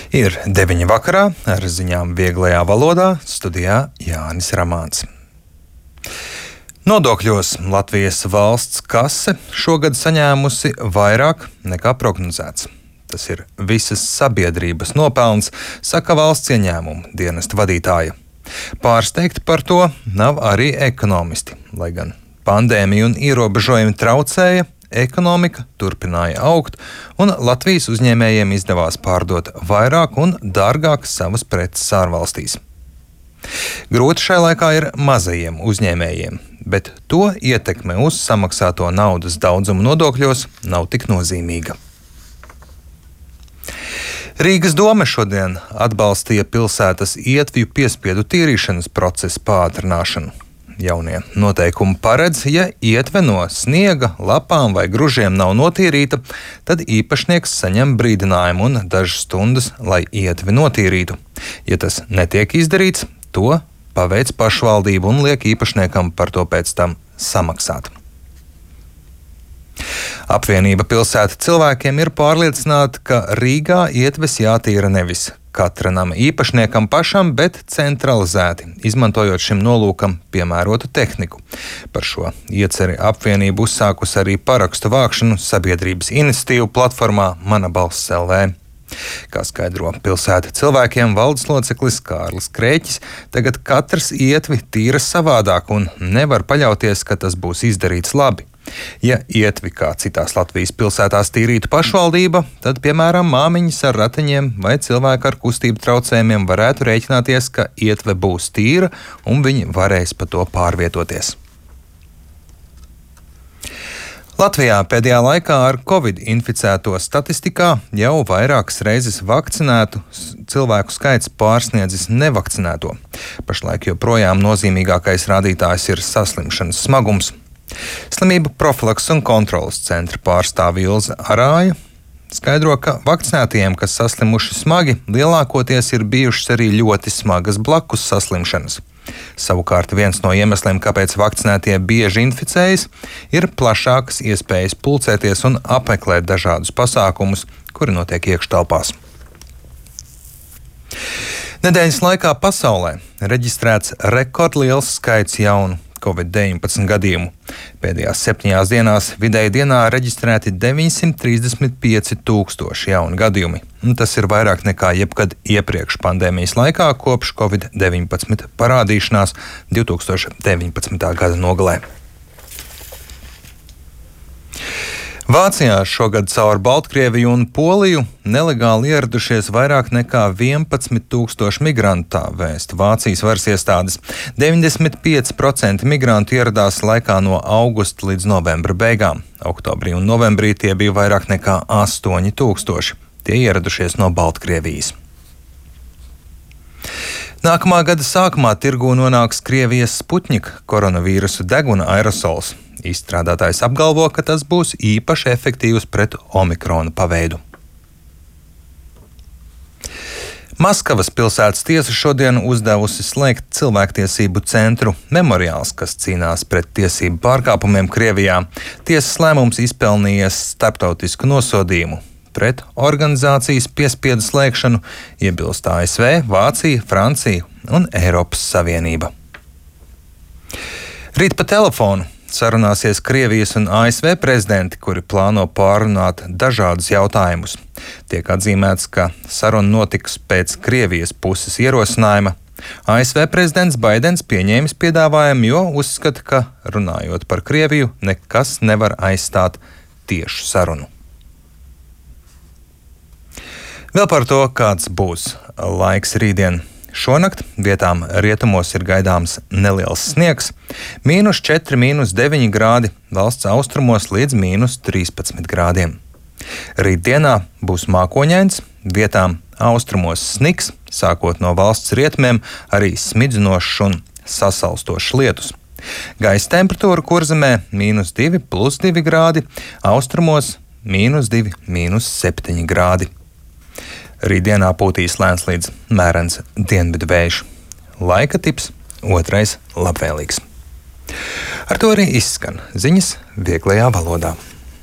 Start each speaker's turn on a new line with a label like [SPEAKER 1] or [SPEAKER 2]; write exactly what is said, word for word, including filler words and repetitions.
[SPEAKER 1] Ir deviņi vakarā ar ziņām vieglajā valodā, studijā Jānis Ramāns. Nodokļos Latvijas valsts kase šogad saņēmusi vairāk nekā prognozēts. Tas ir visas sabiedrības nopelns, saka valsts ieņēmumu dienesta vadītāja. Pārsteigti par to nav arī ekonomisti, lai gan pandēmija un ierobežojumi traucēja, ekonomika turpināja augt, un Latvijas uzņēmējiem izdevās pārdot vairāk un dārgāk savas preces ārvalstīs. Grūti šai laikā ir mazajiem uzņēmējiem, bet to ietekme uz samaksāto naudas daudzumu nodokļos nav tik nozīmīga. Rīgas dome šodien atbalstīja pilsētas ietvju piespiedu tīrīšanas procesa pātrināšanu. Jaunie noteikumi paredz, ja ietve no sniega, lapām vai gružiem nav notīrīta, tad īpašnieks saņem brīdinājumu un dažas stundas, lai ietvi notīrītu. Ja tas netiek izdarīts, to paveic pašvaldība un liek īpašniekam par to pēc tam samaksāt. Apvienība pilsēta cilvēkiem ir pārliecināta, ka Rīgā ietves jātīra nevis katra nama īpašniekam pašam, bet centralizēti, izmantojot šim nolūkam piemērotu tehniku. Par šo ieceri apvienība uzsākusi arī parakstu vākšanu sabiedrības iniciatīvu platformā Mana balss L V. Kā skaidro pilsēta cilvēkiem valdes loceklis Kārlis Krēķis, tagad katrs ietvi tīra savādāk un nevar paļauties, ka tas būs izdarīts labi. Ja ietvi kā citās Latvijas pilsētās tīrītu pašvaldība, tad, piemēram, māmiņas ar ratiņiem vai cilvēki ar kustību traucējumiem varētu rēķināties, ka ietve būs tīra un viņi varēs pa to pārvietoties. Latvijā pēdējā laikā ar covid inficēto statistikā jau vairākas reizes vakcinētu cilvēku skaits pārsniedzis nevakcinēto. Pašlaik joprojām nozīmīgākais rādītājs ir saslimšanas smagums. Slimību profilakses un kontrolas centra pārstāve Ilze Arāja skaidro, ka vakcinētajiem, kas saslimuši smagi, lielākoties ir bijušas arī ļoti smagas blakus saslimšanas. Savukārt viens no iemesliem, kāpēc vakcinētie bieži inficējas, ir plašākas iespējas pulcēties un apmeklēt dažādus pasākumus, kuri notiek iekštelpās. Nedēļas laikā pasaulē reģistrēts rekordliels skaits jaunu covid deviņpadsmit gadījumu. Pēdējās septiņās dienās vidēji dienā reģistrēti deviņsimt trīsdesmit pieci tūkstoši jauni gadījumi. Tas ir vairāk nekā jebkad iepriekš pandēmijas laikā kopš covid deviņpadsmit parādīšanās divi tūkstoši deviņpadsmitā gada nogalē. Vācijā šogad caur Baltkrieviju un Poliju nelegāli ieradušies vairāk nekā vienpadsmit tūkstoši migrantu, tā vēsta Vācijas varas iestādes. deviņdesmit pieci procenti migrantu ieradās laikā no augusta līdz novembra beigām. Oktobrī un novembrī tie bija vairāk nekā astoņi tūkstoši. Tie ieradušies no Baltkrievijas. Nākamā gada sākumā tirgū nonāks Krievijas Sputņika koronavīrusu deguna aerosols. Izstrādātājs apgalvo, ka tas būs īpaši efektīvs pret omikrona paveidu. Maskavas pilsētas tiesa šodien uzdevusi slēgt cilvēktiesību centru Memoriāls, kas cīnās pret tiesību pārkāpumiem Krievijā. Tiesas lēmums izpelnījies starptautisku nosodījumu. Pret organizācijas piespiedu slēgšanu iebilst A S V, Vācija, Francija un Eiropas Savienība. Rīt pa telefonu sarunāsies Krievijas un A S V prezidenti, kuri plāno pārunāt dažādus jautājumus. Tiek atzīmēts, ka saruna notiks pēc Krievijas puses ierosinājuma. A S V prezidents Baidens pieņēmis piedāvājumu, jo uzskata, ka runājot par Krieviju, nekas nevar aizstāt tiešu sarunu. Vēl par to, kāds būs laiks rītdien. Šonakt vietām rietumos ir gaidāms neliels sniegs, mīnus četri, mīnus deviņi grādi, valsts austrumos līdz mīnus trīspadsmit grādiem. Rītdienā būs mākoņains, vietām austrumos sniks, sākot no valsts rietumiem arī smidzinošs un sasalstošs lietus. Gaisa temperatūra Kurzemē mīnus divi, plus divi grādi, austrumos mīnus divi, mīnus septiņi grādi. Rītdienā pūtīs lēns līdz mērens dienvidu vējš. Laika tips otrais labvēlīgs. Ar to arī izskan ziņas vieglajā valodā.